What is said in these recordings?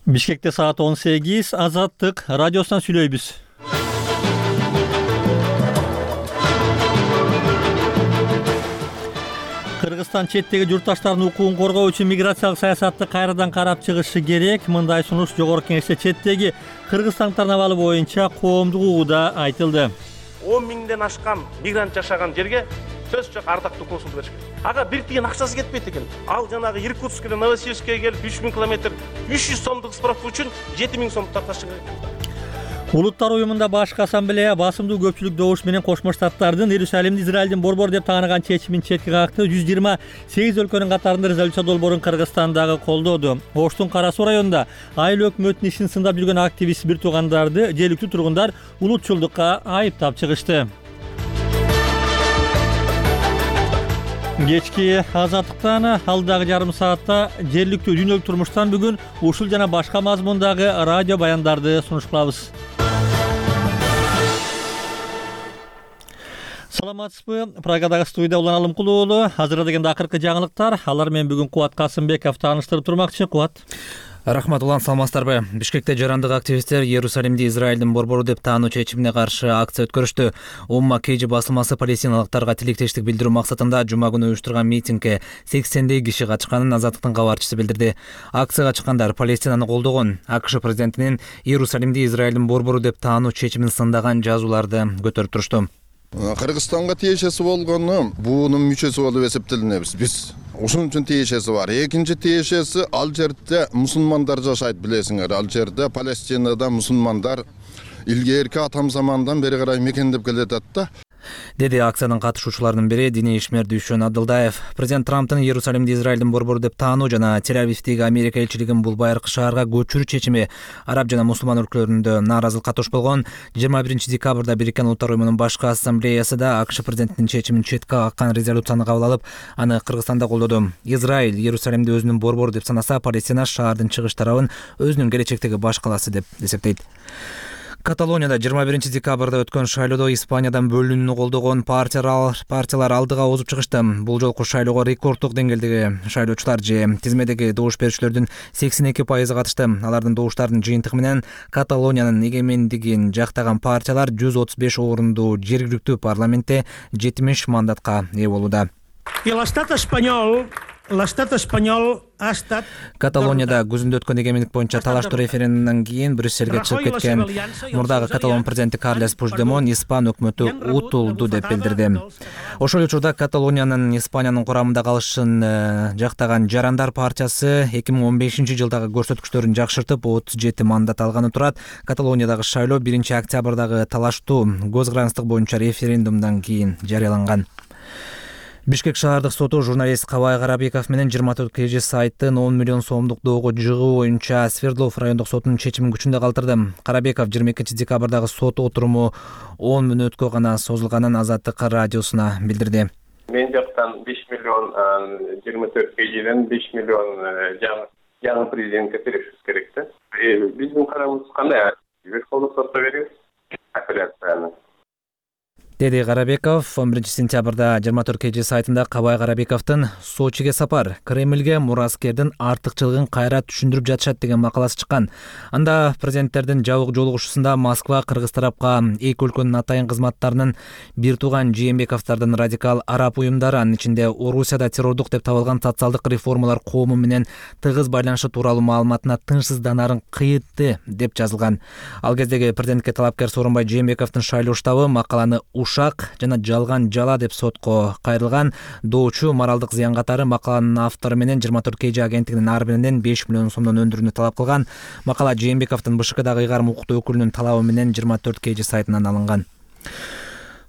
Бишкекте саат 18, Азаттык радиосунан сүйлөйбүз. Кыргызстан четтеги журтташтардын укугун коргоо үчүн миграциялык саясатты кайрадан карап чыгышы керек. Мындай сунуш Жогорку Кеңеште четтеги кыргызстандардын абалы боюнча коомдук угууда айтылды. 10 миңден ашкан мигрант жашаган жерге сөз жок ардактуу консулду бериш керек. Ага бир тиен акчасы кетпейт экен. Ал жанагы Иркутскке, Новосибирскке келип 3000 километр 300 сомдук справка үчүн 7000 сом тартышы керек. Улуттар уюмунда башкы ассамблея басымдуу көпчүлүк добуш менен Кошмо Штаттардын Иерусалимди Израилдин борбор деп тааныган чечимин четке какты. 128 өлкөнүн катарында резолюция долбоорун Кыргызстандагы колдоду. Оштун Кара Суу районунда айыл өкмөттүн ишин сындап жүргөн активист бир туугандарды жергиликтүү тургундар улутчулдукка айыптап чыгышты. Кечки Азаттыктан алдагы жарым саатта жергиликтүү дүйнөлүк турмуштан бүгүн ушул жана башка мазмундагы радио баяндарды сунуш кылабыз. Саламатсызбы? Прагадагы студияда Улан Алымкулуу уулу. Азырда дегенде акыркы жаңылыктар. Алар менен бүгүн Кубат Касымбеков тааныштырып турмакчы. Кубат. Рахмат Улан, саламатсыздарбы? Бишкекте жарандык активисттер Иерусалимди Израилдин борбору деп таануу чечимине каршы акция өткөрүштү. Умма Кейжи басылмасы палестиналыктарга тилектештик билдирүү максатында жума күнү уюштурган митингге 80дей киши катышканын Азаттыктын кабарчысы билдирди. Акцияга чыккандар Палестинаны колдогон, АКШ президентинин Иерусалимди Израилдин борбору деп таануу чечимин сындаган жазууларды көтөрүп турушту. Кыргызстанга тиешеси болгону буунун мүчөсү болуп эсептелинебиз биз. Ошон үчүн тиешеси бар. Экинчи тиешеси ал жерде мусулмандар жашайт, билесиңер. Ал жерде Палестинада мусулмандар илгерки атам замандан бери карай мекендеп келатат да. Деди акциянын катышуучуларынын бири диний ишмер Дүйшөн Абдылдаев. Президент Трамптын Иерусалимди Израилдин борбору деп таануу жана Тель-Авивдеги Америка элчилигин бул байыркы шаарга көчүрүү чечими араб жана мусулман өлкөлөрүндө нааразылыкка туш болгон. 21 декабрда Бириккен Улуттар уюмунун башкы ассамблеясы да АКШ президентинин чечимин четке каккан резолюцияны кабыл алып, аны Кыргызстанда колдоду. Израиль Иерусалимди өзүнүн борбору деп санаса, Палестина шаардын чыгыш тарабын өзүнүн келечектеги баш калаасы деп эсептейт. Каталонияда 21 декабрда өткөн шайлоодо Испаниядан бөлүнүүнү колдогон партиялар алдыга озуп чыгышты. Бул жолку шайлоого рекорддук деңгээлдеги шайлоочулар же тизмедеги добуш берүүчүлөрдүн 82% катышты. Алардын добуштарынын жыйынтыгы менен Каталониянын эгемендигин жактаган партиялар 135 орунду жергиликтүү парламентте 70 мандатка ээ болууда. Каталонияда күзүндө өткөн эгемендик боюнча талаштуу референдумдан кийин Брюссельге чыгып кеткен мурдагы каталон президенти Карлес Пучдемон Испан өкмөтү утулду деп билдирди. Ошол учурда Каталониянын Испаниянын курамында калышын жактаган Жарандар партиясы 2015 жылдагы көрсөткүчтөрүн жакшыртып 37 мандат алганы турат. Каталониядагы шайлоо 1 октябрдагы талаштуу көз карандык боюнча референдумдан кийин жарыяланган. Бишкек шаардык соту журналист Кабай Карабеков менен 24 KG сайттын 10 миллион сомдук доого жыгуу боюнча Свердлов райондук сотунун чечимин күчүндө калтырды. Карабеков 22 декабрдагы сот отуруму 10 мүнөткө гана созулганын Азаттык радиосуна билдирди. Мен жактан 5 миллион 24 KGден 5 миллион жаңы президентке беришибиз керек да. Биздин карарыбыз кандай? Верховный сотто беребиз апелляцияны. Деди Карабеков 11 сентябрда 24 KG сайтында Кабай Карабековдун Сочиге сапар, Кремльге мураскердин артыкчылыгын кайра түшүндүрүп жатышат деген макаласы чыккан. Анда президенттердин жабык жолугушуусунда Москва кыргыз тарапка эки өлкөнүн атайын кызматтарынын бир тууган Жээнбековдардын радикал араб уюмдары, анын ичинде Орусияда террордук деп табылган социалдык реформалар коому менен тыгыз байланышы тууралуу маалыматына тынчсызданарын кыйытты деп жазылган. Ал кездеги президентке талапкер Сооронбай Жээнбековдун шайлоо штабы макаланы ушак жана жалган жала деп сотко кайрылган. Доочу моралдык зыян катары макаланын автору менен 24 KG агенттигинин ар биринен 5 миллион сомдон өндүрүүнү талап кылган. Макала Жээнбековдун БШКдагы ыйгарым укуктуу өкүлүнүн талабы менен 24 KG сайтынан алынган.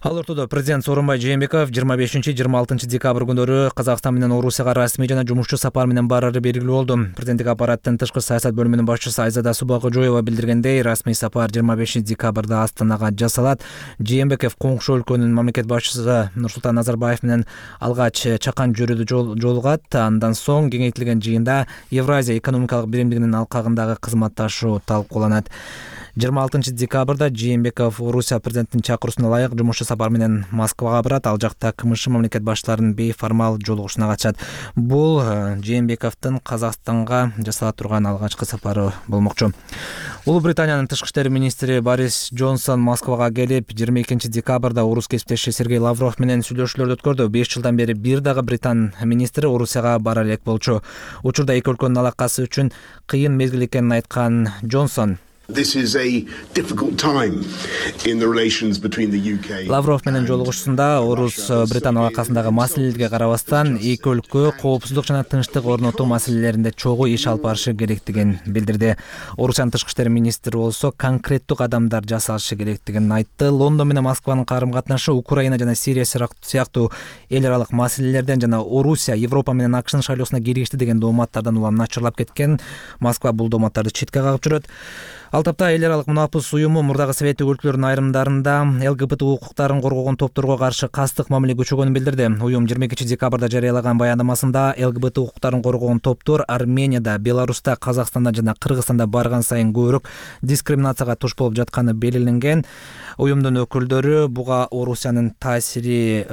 Ал ортодо президент Сооронбай Жээнбеков 25-26 декабрь күндөрү Казакстан менен Орусияга расмий жана жумушчу сапар менен барары белгилүү болду. Президенттик аппараттын тышкы саясат бөлүмүнүн башчысы Айзада Субакожоева билдиргендей, расмий сапар 25 декабрда Астанага жасалат. Жээнбеков коңшу өлкөнүн мамлекет башчысы Нурсултан Назарбаев менен алгач чакан жөрүдө жолугат. Андан соң кеңейтилген жыйында Евразия экономикалык биримдигинин алкагындагы кызматташуу талкууланат. 26-декабрда Жээнбеков Орусия президентинин чакыруусуна ылайык жумуш сапар менен Москвага барат. Ал жакта КМШ мамлекет башчыларынын бейформал жолугушуна катышат. Бул Жээнбековдун Казакстанга жасала турган алгачкы сапары болмокчу. Улуу Британиянын тышкы иштер министри Борис Джонсон Москвага келип, 22-декабрда орус кесиптеши Сергей Лавров менен сүйлөшүүлөрдү өткөрдү. 5 жылдан бери бир дагы Британ министри Орусияга бара элек болчу. Учурда эки өлкөнүн алакасы үчүн кыйын мезгил экенин айткан Джонсон This is a difficult time in the relations between the UK. Лавров менен жолугушуусунда Орус-Британ алакасындагы маселелерге карабастан эки өлкө коопсуздук жана тынчтык орнотуу маселелеринде чогуу иш алып барышы керектигин билдирди. Орусиянын тышкы иштер министри болсо конкреттүү кадамдар жасалышы керектигин айтты. Лондон менен Москванын карым-катнашы Украина жана Сирия сыяктуу эл аралык маселелерден жана Орусия Европа менен АКШнын шайлоосуна киришти деген дооматтардан улам начарлап кеткен. Москва бул дооматтарды четке кагып жүрөт. Ал тапта эл аралык мунапыс уюму мурдагы совет өлкөлөрүнүн айрымдарында ЛГБТ укуктарын коргогон топторго каршы кастык мамиле күчөгөнүн билдирди. Уюм 22-декабрда жарыялаган баяндамасында ЛГБТ укуктарын коргогон топтор Арменияда, Беларуста, Казакстанда жана Кыргызстанда барган сайын көбүрөөк дискриминацияга туш болуп жатканы белгиленген. Уюмдун өкүлдөрү буга Орусиянын таасири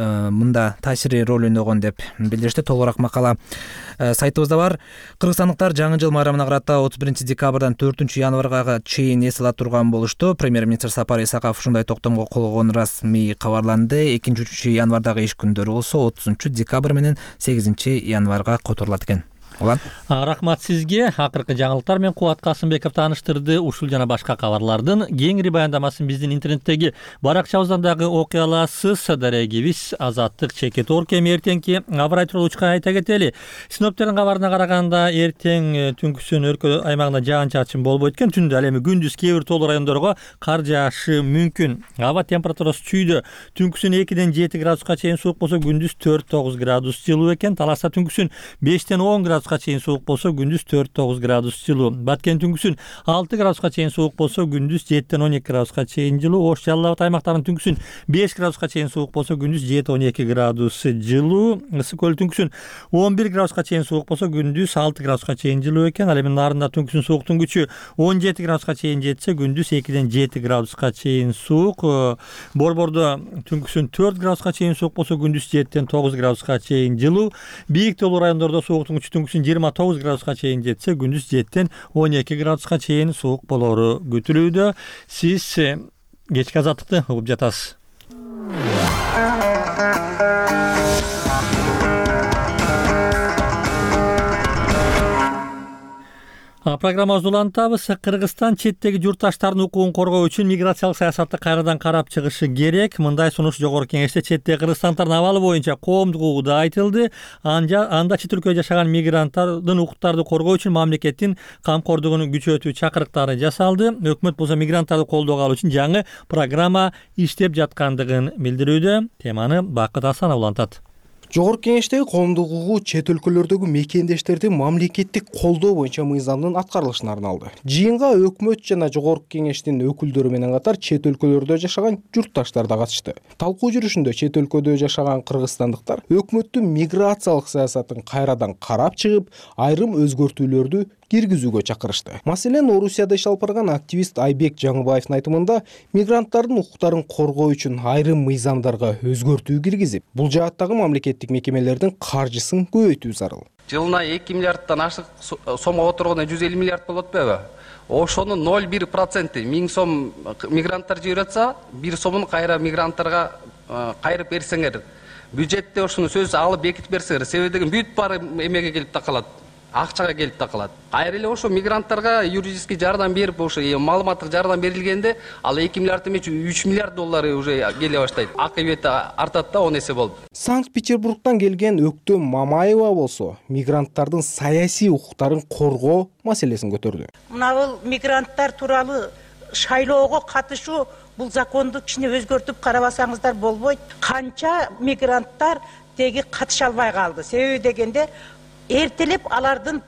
роль ойногон деп билдиришти. Толугураак макала сайтыбызда бар. Кыргызстандыктар жаңы жыл майрамына карата 31-декабрдан 4-январга чейин эс ала турган болушту. Премьер-министр Сапар Исаков ушундай токтомго кол койгону расмий кабарланды. 2-январдагы иш күндөрү болсо 30-декабрь менен 8-январга которулат экен. Рахмат сизге. Акыркы жаңылыктар менен Кубат Касымбеков тааныштырды. Ушул жана башка кабарлардын кеңири баяндамасын биздин интернеттеги баракчабыздан дагы окуй аласыз. Дарегибиз Азаттык Чекет Оркем. Эртеңки аба рай тууралуу учка айта кетели. Синоптиктердин кабарына караганда эртең түнкүсүн өлкө аймагында жаан-чачын болбойт экен. Түндө ал эми күндүз кээ бир тоолуу райондорго кар жаашы мүмкүн. Аба температурасы чүйдө. Түнкүсүн 2-ден 7 градуска чейин суук болсо, күндүз 4-9 градус жылуу экен. Таласта түнкүсүн 5-ден 10 градуска чейин суук болсо, күндүз 4-9 градус жылуу. Баткен түнкүсүн 6 градуска чейин суук болсо, күндүз 7-ден 12 градуска чейин жылуу. Ош Жалал Абад аймактарынын түнкүсүн 5 градуска чейин суук болсо, күндүз 7-12 градус жылуу. Ысык көл түнкүсүн 11 градуска чейин суук болсо, күндүз 6 градуска чейин жылуу экен. Ал эми Нарында түнкүсүн сууктун күчү 17 градуска чейин жетсе, күндүз 2-ден 7 градуска чейин суук. Борбордо түнкүсүн 4 градуска чейин суук болсо, күндүз 7-ден 9 градуска чейин жылуу. Бийик тоолуу райондордо сууктун күчү түнкүсүн 29 градуска чейин жетсе, күндүз 7-ден 12 градуска чейин суук болору күтүлүүдө. Сиз кечки азаттыкты угуп жатасыз. Программабызды улантабыз. Кыргызстан четтеги журтташтардын укугун коргоо үчүн миграциялык саясатты кайрадан карап чыгышы керек. Мындай сунуш жогорку кеңеште четтеги кыргызстандардын абалы боюнча коомдук укугу да айтылды. Анда чет өлкөдө жашаган мигранттардын укуктарды коргоо үчүн мамлекеттин камкордугун күчөтүү чакырыктары жасалды. Өкмөт болсо мигранттарды колдоого алуу үчүн жаңы программа иштеп жаткандыгын билдирүүдө. Теманы Бакыт Асанов улантат. Жогорку кеңештеги коомдук укугу чет өлкөлөрдөгү мекендештерди мамлекеттик колдоо боюнча мыйзамдын аткарылышына арналды. Жыйынга өкмөт жана жогорку кеңештин өкүлдөрү менен катар чет өлкөлөрдө жашаган журтташтар да катышты. Талкуу жүрүшүндө чет өлкөдө жашаган кыргызстандыктар өкмөттүн миграциялык саясатын кайрадан карап чыгып, айрым өзгөртүүлөрдү киргизүүгө чакырышты. Маселен, Орусияда иш алып барган активист Айбек Жаңыбаевдин айтымында, мигранттардын укуктарын коргоо үчүн айрым мыйзамдарга өзгөртүү киргизип, бул жааттагы мамлекеттик мекемелердин каржысын көбөйтүү зарыл. Жылына 2 миллиарддан ашык сомго отурганда 150 миллиард болот атпайбы? Ошонун 0,1% 1000 сом мигранттар жиберип атса, 1 сомун кайра мигранттарга кайрып берсеңер, бюджетте ошону сөз алып бекитип берсеңер, себеби деген бүт баары эмеге келип такалат. Акчага келип такалат. Кайра эле ошо мигранттарга юридический жардам берип, ошо маалыматтык жардам берилгенде, ал 2 миллиард эмес, 3 миллиард доллары уже келе баштайт. Акыбети артат да 10 эсе болуп. Санкт-Петербургтан келген Өктөм Мамаева болсо, мигранттардын саясий укуктарын коргоо маселесин көтөрдү. Мына бул мигранттар тууралуу шайлоого катышуу, бул законду кичине өзгөртүп карабасаңыздар болбойт. Канча мигранттар теги катыша албай калды. Себеби дегенде эртелеп алардын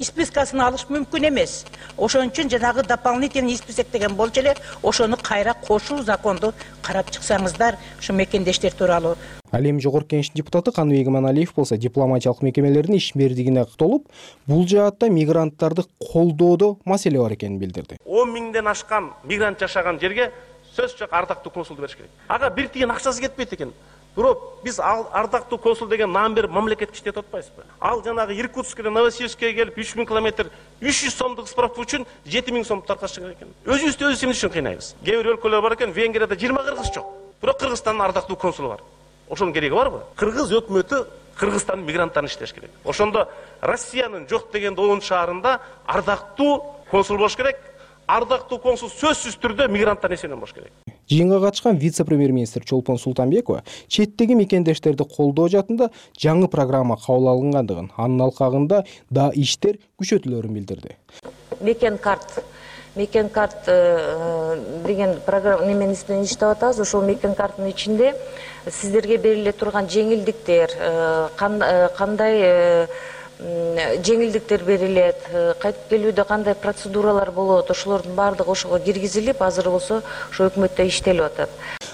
спискасын алыш мүмкүн эмес. Ошон үчүн жанагы дополнительный список деген болчу эле, ошону кайра кошуу законду карап чыксаңыздар, ушу мекендештер тууралуу. Ал эми жогорку кеңештин депутаты Каныбек Иманалиев болсо дипломатиялык мекемелердин ишмердигине токтолуп, бул жаатта мигранттарды колдоодо маселе бар экенин билдирди. 10 миңден ашкан мигрант жашаган жерге сөз жок ардактуу консулду бериш керек. Ага бир тиен акчасы кетпейт экен. Бирок биз ардактуу консул деген наам берип мамлекетке иштетип атпайбызбы? Ал жанагы Иркутскке, Новосибирскке келип 3000 километр 300 сомдук справка үчүн 7000 сом таркатыш керек экен. Өзүбүздү эмне үчүн кыйнайбыз? Кээ бир өлкөлөр бар экен, Венгрияда 20 кыргыз жок. Бирок Кыргызстандын ардактуу консулу бар. Ошонун кереги барбы? Кыргыз өкмөтү Кыргызстандын мигранттарын иштеш керек. Ошондо Россиянын жок деген 10 шаарында ардактуу консул болуш керек. Ардактуу консул сөзсүз түрдө мигранттар эсебинен болуш керек. Жыйынга катышкан вице-премьер-министр Чолпон Султанбекова четтеги мекендештерди колдоо жаатында жаңы программа кабыл алынгандыгын, анын алкагында да иштер күчөтүлөрүн билдирди. Мекен карт деген программа неменин үстүнөн иштеп атабыз. Ошол мекен карттын ичинде сиздерге бериле турган жеңилдиктер, кандай жеңилдиктер берилет, кайтып келүүдө кандай процедуралар болот, ошолордун баардыгы ошого киргизилип, азыр болсо ошо өкмөттө иштелип атат.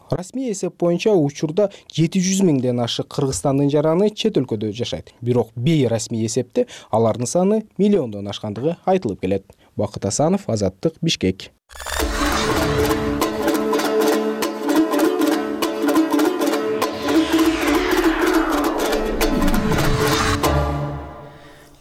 Расмий эсеп боюнча учурда 700 миңден ашык Кыргызстандын жараны чет өлкөдө жашайт. Бирок бейрасмий эсепте алардын саны миллиондон ашкандыгы айтылып келет. Бакыт Асанов, Азаттык, Бишкек.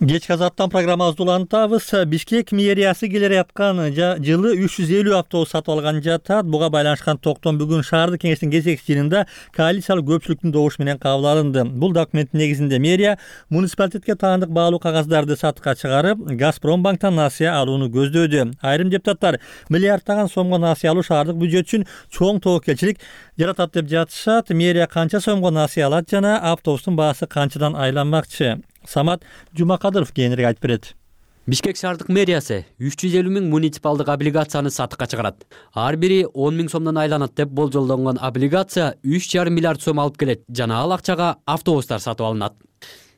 Кечки азаттан программабызды улантабыз. Бишкек мэриясы келе аткан жылы 350 автобус сатып алган жатат. Буга байланышкан токтом бүгүн шаардык кеңештин кезекчи жыйынында коалициялык көпчүлүктүн добушу менен кабыл алынды. Бул документтин негизинде мэрия муниципалитетке таандык баалуу кагаздарды сатыкка чыгарып, Газпромбанктан насыя алууну көздөдү. Айрым депутаттар миллиардтаган сомго насыя алуу шаардык бюджет үчүн чоң тобокелчилик жаратат деп жатышат. Мэрия канча сомго насыя алат жана автобустун баасы канчадан айланмакчы? Самат Жумакадыров кийинирээк айтып берет. Бишкек шаардык мэриясы 350 миң муниципалдык облигацияны сатыкка чыгарат. Ар бири 10 миң сомдон айланат деп болжолдонгон облигация 3,5 миллиард сом алып келет жана ал акчага автобустар сатып алынат.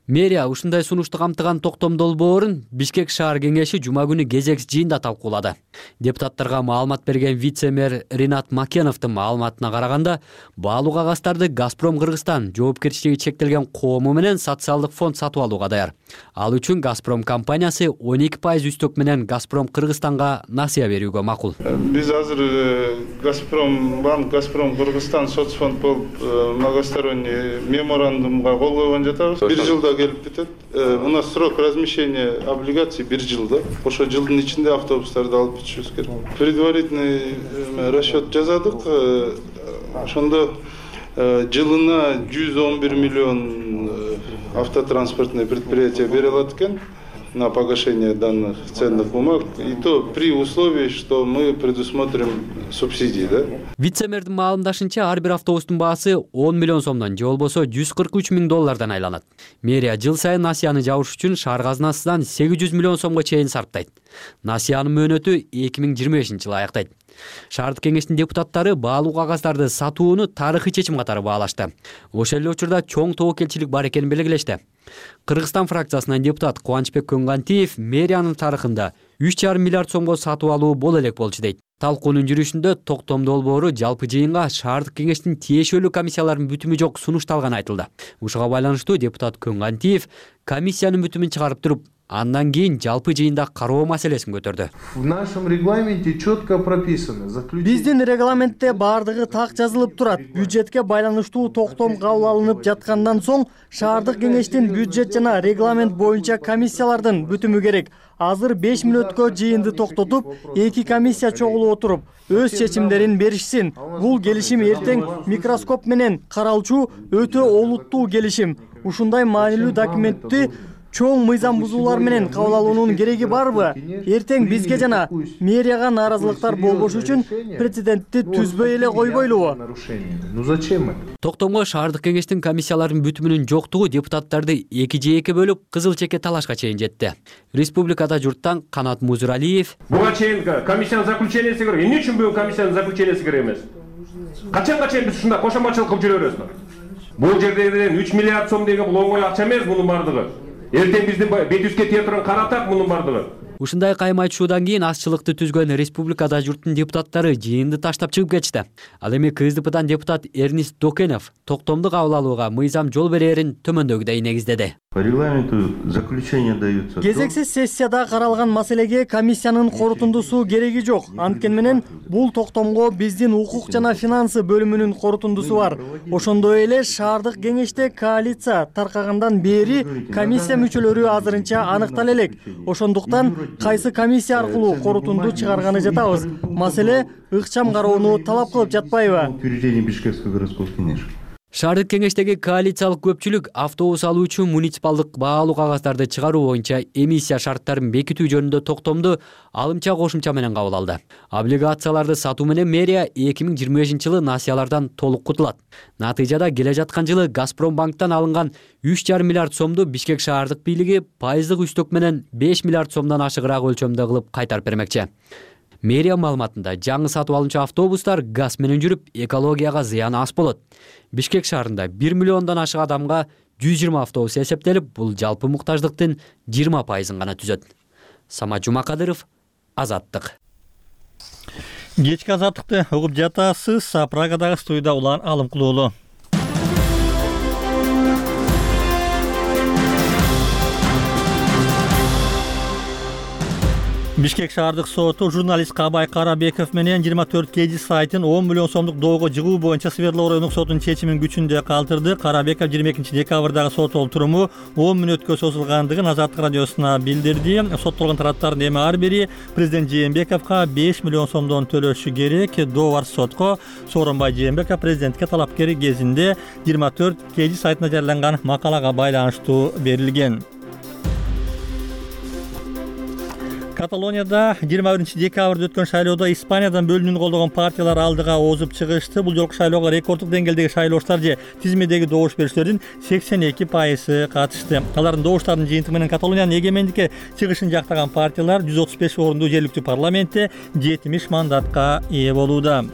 Мэрия ушундай сунушту камтыган токтом долбоорун Бишкек шаар кеңеши жума күнү кезекчи жыйында талкуулады. Депутаттарга маалымат берген вице-мэр Ринат Макеновдун маалыматына караганда, баалуу кагаздарды Газпром Кыргызстан жоопкерчилиги чектелген коому менен социалдык фонд сатып алууга даяр. Ал үчүн Газпром компаниясы 12% үстөк менен Газпром Кыргызстанга насыя берүүгө макул. Биз азыр Газпромбанк, Газпром Кыргызстан соцфонд болуп многосторонний меморандумга кол койгон жатабыз. 1 жылда келип кетет. У нас срок размещения облигаций 1 жылда. Ошо жылдын ичинде автобустарды алып бүтүшүбүз керек. Предварительный расчет жазадык. Ошондо жылына 111 миллион автотранспортное предприятие бере алат экен на погашение данных ценных бумаг, и то при условии, что мы предусмотрим субсидии, да? Вице-мэрдин маалымдашынча, ар бир автобустун баасы 10 миллион сомдон же болбосо 143 миң доллардан айланат. Мэрия жыл сайын насыяны жабыш үчүн шаар казынасынан 800 миллион сомго чейин сарптайт. Насыянын мөөнөтү 2025-жылы аяктайт. Шаардык кеңештин депутаттары баалуу кагаздарды сатууну тарыхый чечим катары баалашты. Ошол эле учурда чоң тобокелчилик бар экенин белгилешти. Кыргызстан фракциясынан депутат Кубанычбек Көңгантиев мэриянын тарыхында 3,5 миллиард сомго сатып алуу боло элек болчу дейт. Талкуунун жүрүшүндө токтом долбоору жалпы жыйынга шаардык кеңештин тиешелүү комиссияларынын бүтүмү жок сунушталганы айтылды. Ушуга байланыштуу депутат Көңгантиев комиссиянын бүтүмүн чыгарып туруп, андан кийин жалпы жыйында кароо маселесин көтөрдү. В нашем регламенте четко прописано. Биздин регламентте баардыгы так жазылып турат. Бюджетке байланыштуу токтом кабыл алынып жаткандан соң шаардык кеңештин бюджет жана регламент боюнча комиссиялардын бүтүмү керек. Азыр 5 мүнөткө жыйынды токтотуп, 2 комиссия чогулуп отуруп, өз чечимдерин беришсин. Бул келишим эртең микроскоп менен каралчу өтө олуттуу келишим. Ушундай маанилүү документти чоң мыйзам бузуулар менен кабыл алуунун кереги барбы? Эртең бизге жана мэрияга нааразылыктар болбош үчүн прецедентти түзбөй эле койбойлубу? Ну зачем это? Токтомго шаардык кеңештин комиссияларынын бүтүмүнүн жоктугу депутаттарды 2-2 бөлүп кызыл чекке талашка чейин жетти. Республикада журттан Канат Музуралиев: Буга чейин комиссиянын заключениясы керек. Эмне үчүн бүгүн комиссиянын заключениясы керек эмес? Качанга чейин биз ушундай кошомачылык кылып жүрөбүз? Бул жерден 3 миллиард сом деген бул оңой акча эмес, мунун бардыгы. Эртең бизди бет жүзгө тие турган каратак мунун бардыгы. Ушундай кайым айтышуудан кийин азчылыкты түзгөн республикада журттун депутаттары жыйынды таштап чыгып кетишти. Ал эми КСДПдан депутат Эрнист Докенов токтомду кабыл алууга мыйзам жол берерин төмөндөгүдөй негиздеди. По регламенту заключение даются. Кезексиз сессияда каралган маселеге комиссиянын корутундусу кереги жок. Анткени менен бул токтомго биздин укук жана финансы бөлүмүнүн корутундусу бар. Ошондой эле шаардык кеңеште коалиция таркагандан бери комиссия мүчөлөрү азырынча аныктала элек. Ошондуктан кайсы комиссия аркылуу корутунду чыгарганы жатабыз. Маселе ыкчам кароону талап кылып жатпайбы? Утверждение Бишкекского городского кеңеш. Шаардык кеңештеги коалициялык көпчүлүк автобус алуучу муниципалдык баалуу кагаздарды чыгаруу боюнча эмиссия шарттарын бекитүү жөнүндө токтомду алымча кошумча менен кабыл алды. Облигацияларды сатуу менен мэрия 2025-жылы насыялардан толук кутулат. Натыйжада келе жаткан жылы Газпромбанктан алынган 3,5 миллиард сомду Бишкек шаардык бийлиги пайыздык үстөк менен 5 миллиард сомдон ашыгыраак өлчөмдө кылып кайтарып бермекчи. Мэрия маалыматында жаңы сатып алынчу автобустар газ менен жүрүп, экологияга зыяны аз болот. Бишкек шаарында 1 миллиондон ашык адамга 120 автобус эсептелип, бул жалпы муктаждыктын 20% гана түзөт. Самат Жумакадыров, Азаттык. Кечки Азаттыкты угуп жатасыз. Прагадагы студияда Улан Алымкулуулу. Бишкек шаардык соту журналист Кабай Карабеков менен 24 кж сайтын 10 миллион сомдук доого жыгуу боюнча Свердлов райондук сотунун чечимин күчүндө калтырды. Карабеков 22 декабрдагы сот олтуруму 10 мүнөткө созулгандыгын Азаттык радиосуна билдирди. Соттолгон тараптардын эми ар бири президент Жээнбековго 5 миллион сомдон төлөшү керек. Долбар сотко Сооронбай Жээнбеков президентке талапкер кезинде 24 кж сайтына жарыяланган макалага байланыштуу берилген. Каталонияда 21 декабрда өткөн шайлоодо Испаниядан бөлүнүүнү колдогон партиялар алдыга озуп чыгышты. Бул жолку шайлоого рекорддук деңгээлдеги шайлоочулар же тизмедеги добуш берүүчүлөрдүн 82% катышты. Алардын добуштарынын жыйынтыгы менен Каталониянын эгемендикке чыгышын жактаган партиялар 135 орунду жергиликтүү парламентте 70 мандатка ээ болууда.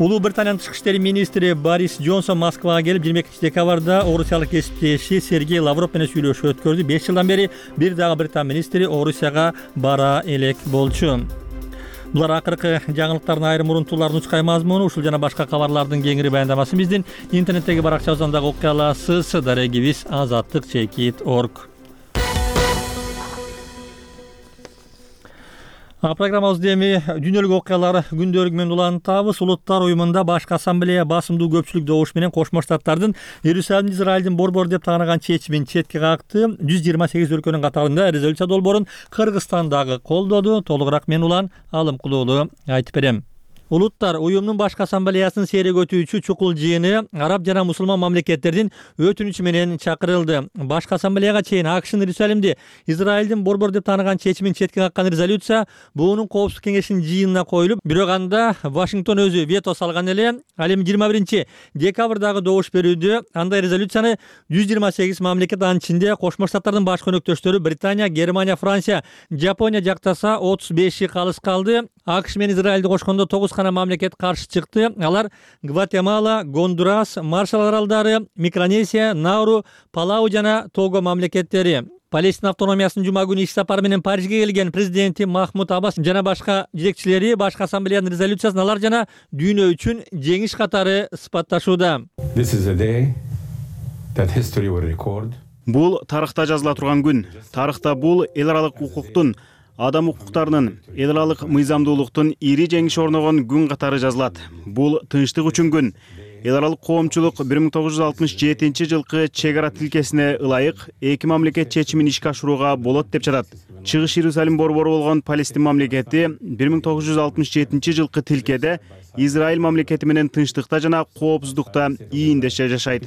Улуу Британиянын тышкы иштер министри Борис Джонсон Москвага келип 22 декабрда орусиялык кесиптеши Сергей Лавров менен сүйлөшүү өткөрдү. 5 жылдан бери бир дагы Британ министри Орусияга бара элек болчу. Булар акыркы жаңылыктардын айрым урунтууларын учкай мазмуну, ушул жана башка кабарлардын кеңири баяндамасын биздин интернеттеги баракчабыздан дагы окуй аласыз. Дарегибиз azattik.org. Программабызды эми дүйнөлүк окуялар күндөлүгү менен улантабыз. Улуттар уюмунда башкы ассамблея басымдуу көпчүлүк добуш менен Кошмо Штаттардын Иерусалимди Израилдин борбор деп тааныган чечимин четке какты. 128 өлкөнүн катарында резолюция долбоорун Кыргызстан дагы колдоду. Толугураак мен Улан Алымкулуулу айтып берем. Улуттар уюмунун башкы ассамблеясынын сейрек өтүүчү чукул жыйыны араб жана мусулман мамлекеттердин өтүнүчү менен чакырылды. Башкы ассамблеяга чейин АКШнын Иерусалимди Израилдин борбор деп тааныган чечимин четке каккан резолюция буунун коопсуздук кеңешинин жыйынына коюлуп, бирок анда Вашингтон өзү вето салган эле. Ал эми 21 декабрдагы добуш берүүдө андай резолюцияны 128 мамлекет, анын ичинде Кошмо Штаттардын башкы өнөктөштөрү Британия, Германия, Франция, Жапония жактаса 35 калыс калды. АКШ менен Израилди кошкондо 9 мамлекет каршы чыкты. Алар Гватемала, Гондурас, Маршалл аралдары, Микронезия, Науру, Палау жана Того мамлекеттери. Палестина автономиясынын жума күнү иш сапары менен Парижге келген президенти Махмуд Аббас жана башка жетекчилери башкы ассамблеянын резолюциясын алар жана дүйнө үчүн жеңиш катары сыпатташууда. Бул тарыхта жазыла турган күн. Тарыхта бул эл аралык укуктун, адам укуктарынын, эл аралык мыйзамдуулуктун ири жеңиш орногон күн катары жазылат. Бул тынчтык үчүн күн. Эл аралык коомчулук 1967 жылкы чек ара тилкесине ылайык эки мамлекет чечимин ишке ашырууга болот деп жатат. Чыгыш Иерусалим борбору болгон Палестин мамлекети 1967 жылкы тилкеде Израиль мамлекети менен тынчтыкта жана коопсуздукта ийиндеше жашайт.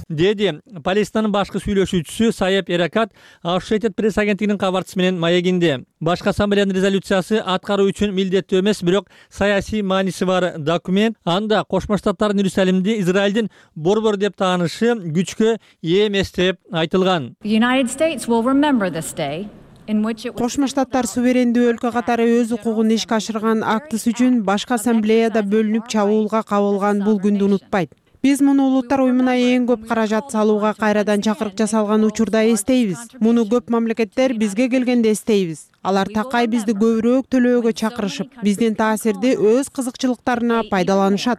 Деди Палестинанын башкы сүйлөшүүчүсү Саеп Эракат Associated Press агенттигинин кабарчысы менен маегинде. Башкы ассамблеянын резолюциясы аткаруу үчүн милдеттүү эмес, бирок саясий мааниси бар документ. Анда Кошмо Штаттардын Иерусалимди Израилдин борбор деп таанышы күчкө ээ эмес деп айтылган. Кошмо Штаттар суверендүү өлкө катары өз укугун ишке ашырган актысы үчүн башкы ассамблеяда бөлүнүп чабуулга кабылган бул күндү унутпайт. Биз муну улуттар уюмуна эң көп каражат салууга кайрадан чакырык жасалган учурда эстейбиз. Муну көп мамлекеттер бизге келгенде эстейбиз. Алар такай бизди көбүрөөк төлөөгө чакырышып, биздин таасирди өз кызыкчылыктарына пайдаланышат.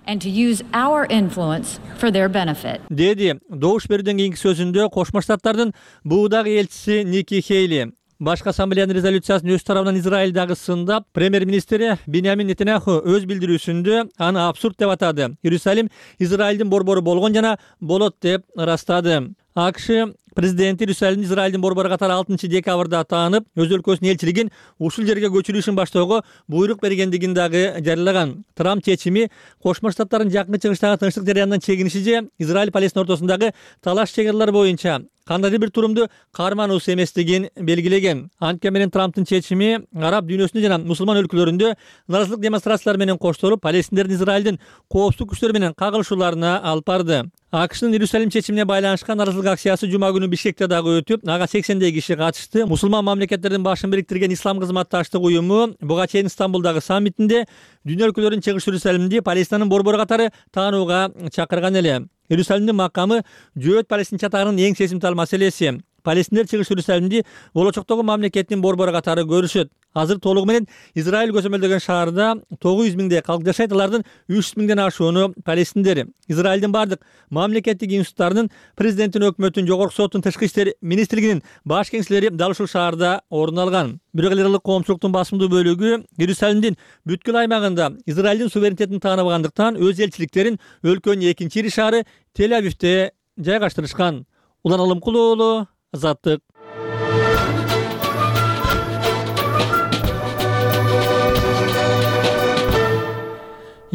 And to use our influence for their benefit. Деди добуш берүүдөн кийинки сөзүндө Кошмо Штаттардын буудагы элчиси Ники Хейли. Башкы ассамблеянын резолюциясын өз тарабынан Израилдагы сындап, премьер-министри Биньямин Нетаньяху өз билдирүүсүндө аны абсурд деп атады. Иерусалим Израилдин борбору болгон жана болот деп ырастады. АКШ президенти Иерусалимди Израилдин борбору катары 6 декабрда таанып, өз өлкөсүнүн элчилигин ушул жерге көчүрүшүн баштоого буйрук бергендигин дагы жарыялаган. Трамп чечими Кошмо Штаттардын жакын чыгыштагы тынчтык жарыянынан чегиниши же Израиль-Палестина ортосундагы талаш чегарлар боюнча кандайдыр бир турумду кармануусу эместигин белгилеген. Анткени менен Трамптын чечими араб дүйнөсүндө жана мусулман өлкөлөрүндө наразылык демонстрациялары менен коштолуп, палестиндердин Израилдин коопсуздук күчтөрү менен кагылышууларына алып барды. АКШнын Иерусалим чечимине байланышкан наразылык акциясы жума күнү Бишкекте дагы өтүп, ага 80дей киши катышты. Мусулман мамлекеттердин башын бириктирген Ислам кызматташтык уюму буга чейин Стамбулдагы саммитинде дүйнө өлкөлөрүнүн чыгыш Иерусалимди Палестинанын борбору катары таанууга чакырган эле. Иерусалимдин макамы жөөт Палестин чатагынын эң сезимтал маселеси. Палестиндер чыгыш Иерусалимди болочоктогу мамлекеттин борбору катары көрүшөт. Азыр толугу менен Израиль көзөмөлдөгөн шаарда 900 миңдей калк жашайт. Алардын 300 миңден ашууну палестиндер. Израилдин бардык мамлекеттик институттарынын, президенттин, өкмөттүн, жогорку соттун, тышкы иштер министрлигинин баш кеңселери дал ушул шаарда орун алган. Бирок эл аралык коомчулуктун басымдуу бөлүгү Иерусалимдин бүткүл аймагында Израилдин суверенитетин тааныбагандыктан өз элчиликтерин өлкөнүн экинчи ири шаары Тель-Авивде жайгаштырышкан. Улан Алымкулуу уулу, Азаттык.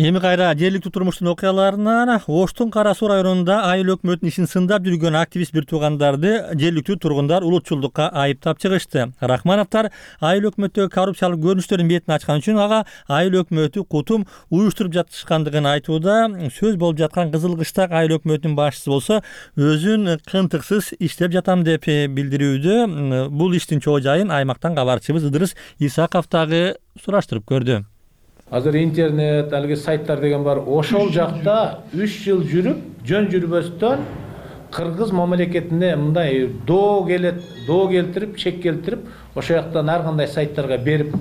Эми кайра жергиликтүү турмуштун окуяларынан Оштун Кара Суу районунда айыл өкмөтүнүн ишин сындап жүргөн активист бир туугандарды жергиликтүү тургундар улутчулдукка айыптап чыгышты. Рахмановдор айыл өкмөттөгү коррупциялык көрүнүштөрдүн бетин ачкан үчүн ага айыл өкмөтү кутум уюштуруп жатышкандыгын айтууда. Сөз болуп жаткан Кызыл Кыштак айыл өкмөтүнүн башчысы болсо өзүн кынтыксыз иштеп жатам деп билдирүүдө. Бул иштин чоо жайын аймактан кабарчыбыз Ыдырыс Исаков дагы сураштырып көрдү. Азыр интернет, алги сайттар деген бар. Ошол жакта 3 жыл жүрүп, жөн жүрбөстөн кыргыз мамлекетине мындай доо келтирип, чек келтирип, ошол жактан ар кандай сайттарга берип,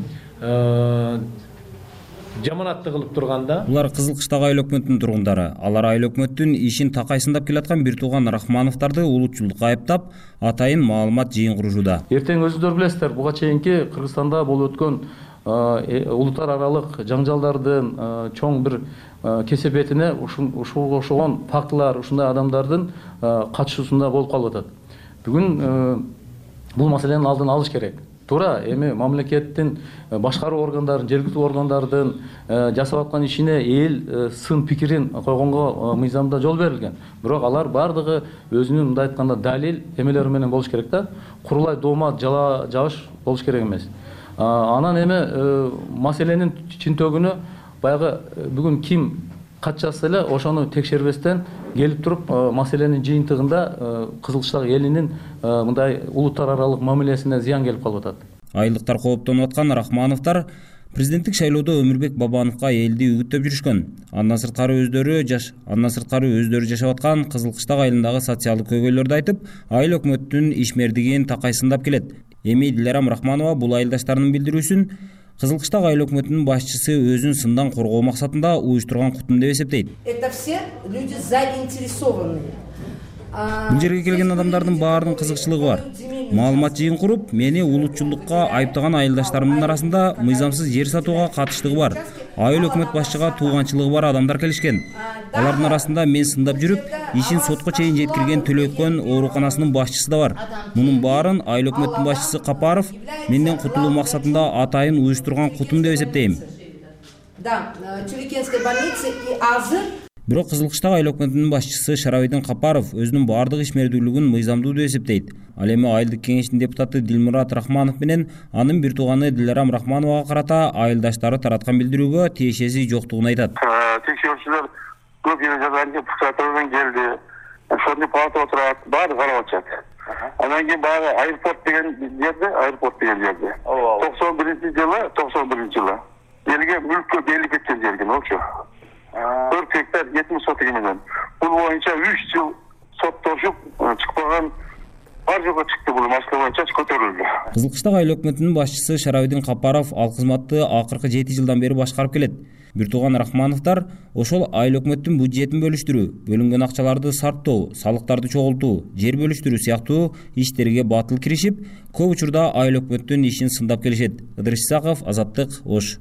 жаманатты кылып турганда. Булар Кызыл Кыштак айыл өкмөтүнүн тургундары. Алар айыл өкмөттүн ишин такайсындап келаткан бир тууган Рахмановдорду улутчулдукка айыптап, атайын маалымат жыйын курушууда. Эртең өзүңөр билесиздер, буга чейинки Кыргызстанда болуп өткөн улуттар аралык жаңжалдардын чоң бир кесепетине ушуга окшогон фактылар, ушундай адамдардын катышуусунда болуп калып атат. Бүгүн бул маселенин алдын алыш керек. Туура эми мамлекеттин башкаруу органдарын, жергиликтүү органдардын жасап аткан ишине эл сын пикирин койгонго мыйзамда жол берилген. Бирок алар бардыгы өзүнүн мындай айтканда далил эмелери менен болуш керек да. Курулай доомат жабыш болуш керек эмес. Анан эми маселенин чынтөгүнө баягы бүгүн ким катчасы эле ошону текшербестен келип туруп маселенин жыйынтыгында Кызыл Кыштак элинин мындай улуттар аралык мамилесине зыян келип калып атат. Айылдыктар кооптонуп аткан Рахмановдор президенттик шайлоодо Өмүрбек Бабановго элди үгүттөп жүрүшкөн. Андан сырткары өздөрү жашап аткан Кызыл Кыштак айылындагы социалдык көйгөйлөрдү айтып, айыл өкмөттүнүн ишмердигин такайсындап келет. Эми Диларам Рахманова бул айылдаштарынын билдирүүсүн Кызыл Кыштак айыл өкмөтүнүн башчысы өзүн сындан коргоо максатында уюштурган кутум деп эсептейт. Это все люди заинтересованные. Бул жерге келген адамдардын баарынын кызыкчылыгы бар. Маалымат жыйын куруп, мени улутчулдукка айыптаган айылдаштарымдын арасында мыйзамсыз жер сатууга катыштыгы бар, айыл өкмөт башчыга тууганчылыгы бар адамдар келишкен. Алардын арасында мен сындап жүрүп, ишин сотко чейин жеткирген Төлөкөн ооруканасынын башчысы да бар. Мунун баарын айыл өкмөттүн башчысы Капаров менден кутулуу максатында атайын уюштурган кутум деп эсептейм. Да, Тюлекенской больницы и азыр. Бирок Кызыл Кыштак айыл өкмөтүнүн башчысы Шарабайдын Капаров өзүнүн бардык ишмердүүлүгүн мыйзамдуу деп эсептейт. Ал эми айылдык кеңештин депутаты Дилмурат Рахманов менен анын бир тууганы Диларам Рахмановага карата айылдаштары тараткан билдирүүгө тиешеси жоктугун айтат. Текшерүүчүлөр көп жерде пуксатырдан келди. Ошону палата отурат, баары карап атышат. Анан кийин баягы аэропорт деген жерде. 91-жылы элге мүлккө берилип кеткен жерген болчу. 4 гектар 70 соток менен. Бул боюнча 3 жыл соттошуп чыкпаган бар жолго чыкты, бул маселе боюнча көтөрүлдү. Кызылкыштак айыл өкмөтүнүн башчысы Шарабидин Капаров ал кызматты акыркы 7 жылдан бери башкарып келет. Бир тууган Рахмановдор ошол айыл өкмөттүн бюджетин бөлүштүрүү, бөлүнгөн акчаларды сарптоо, салыктарды чогултуу, жер бөлүштүрүү сыяктуу иштерге батыл киришип, көп учурда айыл өкмөттүн ишин сындап келишет. Ыдырыш Исаков, Азаттык, Ош.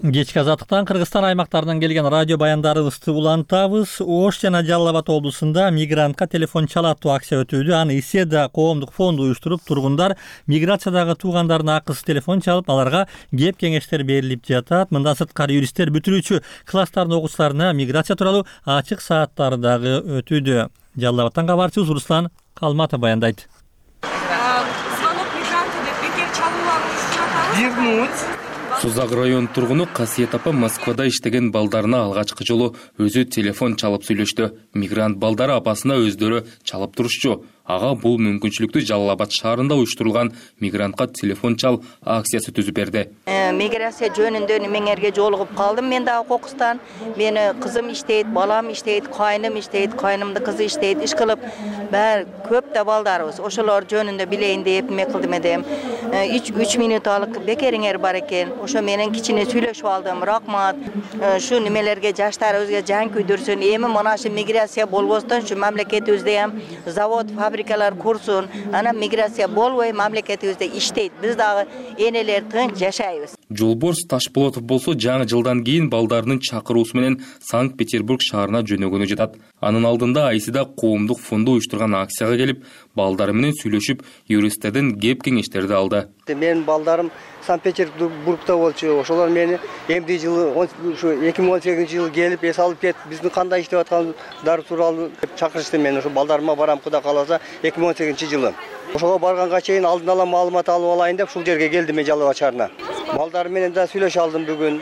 Кечки Азаттыктан Кыргызстан аймактарынан келген радио баяндарыбызды улантабыз. Ош жана Жалал Абад облусунда мигрантка телефон чалаттуу акция өтүүдө. Аны Иседа коомдук фонду уюштуруп, тургундар миграциядагы туугандарына акысыз телефон чалып, аларга кеп кеңештер берилип жатат. Мындан сырткары юристтер бүтүрүүчү класстардын окуучуларына миграция тууралуу ачык сааттары дагы өтүүдө. Жалал Абадтан кабарчыбыз Руслан Калматов баяндайт. Звонок мигранта деп бекер чалуулар уюштуруп жатабыз. Сузак район тургуну Касиет апа Москвада иштеген балдарына алгачкы жолу өзү телефон чалып сүйлөштү. Мигрант балдары апасына өздөрү чалып турушчу. Ага бул мүмкүнчүлүктү Жалал Абад шаарында уюштурулган мигрантка телефон чал акциясы түзүп берди. Миграция жөнүндө меңерге жолугуп калдым мен дагы кокустан. Мени кызым иштейт, балам иштейт, кайным иштейт, кайнымдын кызы иштейт. Иш кылып баары көп да балдарыбыз. Ошолор жөнүндө билейин деп эме кылдым эдем. 3 минуталык бекериңер бар экен. Ошо менен кичине сүйлөшүп алдым. Рахмат. Шу немелерге жаштарыбызга жан күйдүрсүн. Эми мына шу миграция болбостон шу мамлекетибизде ham завод, фабрикалар курсун. Ана миграция болбой мамлекетибизде иштейт. Биз дагы энелер тынч жашайбыз. Жолборс Ташполотов болсо жаңы жылдан кийин балдарынын чакыруусу менен Санкт-Петербург шаарына жөнөгөнү жатат. Анын алдында Айсида коомдук фонду уюштурган акцияга келип, балдары менен сүйлөшүп, юристтерден кеп кеңештерди алды. Менин балдарым Санкт-Петербургда болчу. Ошолор мени эмди жылы 2018-жылы келип эс алып кетип, биздин кандай иштеп аткандар тууралуу чакырышты. Мен ошо балдарыма барам, Кудай кааласа 2018-жылы. Ошого барганга чейин алдын ала маалымат алып алайын деп ушул жерге келдим мен Жалал Абад шаарына. Балдар менен да сүйлөшө алдым бүгүн.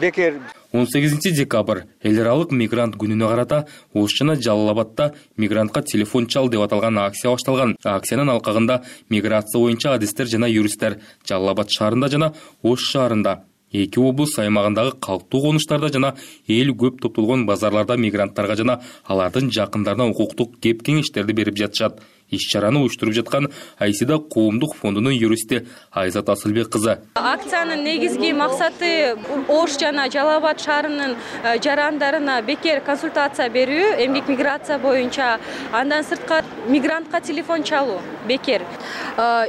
Бекер 18 декабрь эл аралык мигрант күнүнө карата Ош жана Жалал Абадта мигрантка телефон чал деп аталган акция башталган. Акциянын алкагында миграция боюнча адистер жана юристтер Жалал Абад шаарында жана Ош шаарында, эки облус аймагындагы калктуу конуштарда жана эл көп топтолгон базарларда мигранттарга жана алардын жакындарына укуктук кеп кеңештерди берип жатышат. Иш-чараны уюштуруп жаткан Айсида коомдук фондунун юристи Айзат Асылбек кызы. Акциянын негизги максаты Ош жана Жалал Абад шаарынын жарандарына бекер консультация берүү, эмгек миграция боюнча, андан сырткары мигрантка телефон чалуу бекер.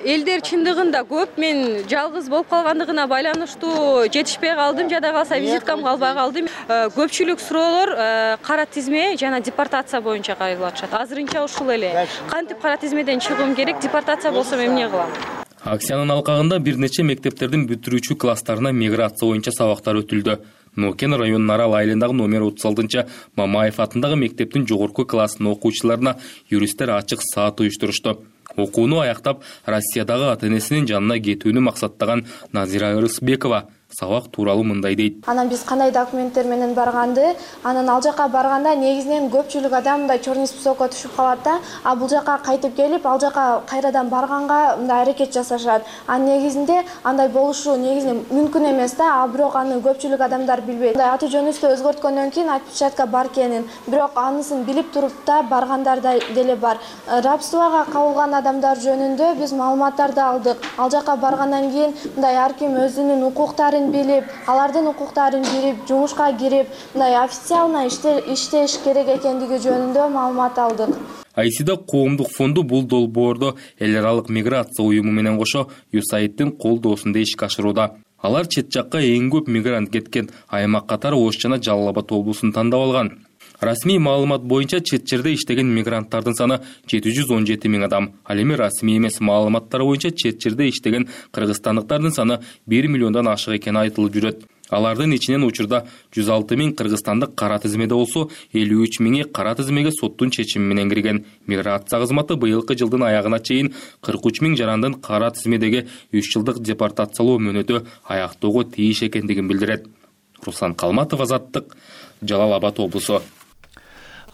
Элдер чындыгында көп, мен жалгыз болуп калгандыгына байланыштуу жетишпей калдым, жада калса визиткам калбай калды. Көпчүлүк суроолор кара тизме жана депортация боюнча кайрылып атышат. Азырынча ушул эле. Кантип кара тизмеден чыгуум керек, депортация болсом эмне кылам? Акциянын алкагында бир нече мектептердин бүтүрүүчү класстарына миграция боюнча сабактар өтүлдү. Нокен районунун Арал айылындагы номер 36 Мамаев атындагы мектептин жогорку класснын окуучуларына юристтер ачык саат уюштурушту. Окууну аяктап, Россиядагы ата-энесинин жанына кетүүнү максаттаган Назира Ырысбекова сабак тууралуу мындай дейт. Анан биз кандай документтер менен барганды, анан ал жака барганда негизинен көпчүлүк адам мындай черный списокко түшүп калат да, а бул жака кайтып келип, ал жака кайрадан барганга мындай аракет жасашат. Негизинде андай болушу негизинен мүмкүн эмес да, а бирок аны көпчүлүк адамдар билбейт. Аты жөнүбүздү өзгөрткөндөн кийин отпечатка бар экенин, бирок анысын билип туруп да баргандар деле бар. Рабствого кабылган адамдар жөнүндө биз маалыматтарды алдык. Ал жака баргандан кийин мындай ар ким өзүнүн укуктарын билип, алардын укуктарын билип, жумушка кирип, мындай официально иштеш керек экендиги жөнүндө маалымат алдык. Айсида коомдук фонду бул долбоордо эл аралык миграция уюму менен кошо USAID-тин колдоосунда ишке ашырууда. Алар чет жакка эң көп мигрант кеткен аймак катары Ош жана Жалал Абад облусун тандап алган. Расмий маалымат боюнча чет жерде иштеген мигранттардын саны 717 миң адам. Ал эми расмий эмес маалыматтар боюнча чет жерде иштеген кыргызстандыктардын саны 1 миллиондон ашык экени айтылып жүрөт. Алардын ичинен учурда 106 миң кыргызстандык кара тизмеде болсо, 53 миңи кара тизмеге соттун чечими менен кирген. Миграция кызматы быйылкы жылдын аягына чейин 43 миң жарандын кара тизмедеги 3 жылдык депортациялоо мөөнөтү аяктоого тийиш экендигин билдирет. Руслан Калматов, Азаттык, Жалал Абад облусу.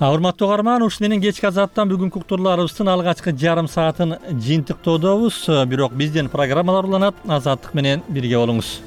Урматтуу угарман, ушул менен кечки азаттан бүгүнкү уктурларыбыздын алгачкы жарым саатын жыйынтыктоодобуз. Бирок бизден программалар уланат. Азаттык менен бирге болуңуз.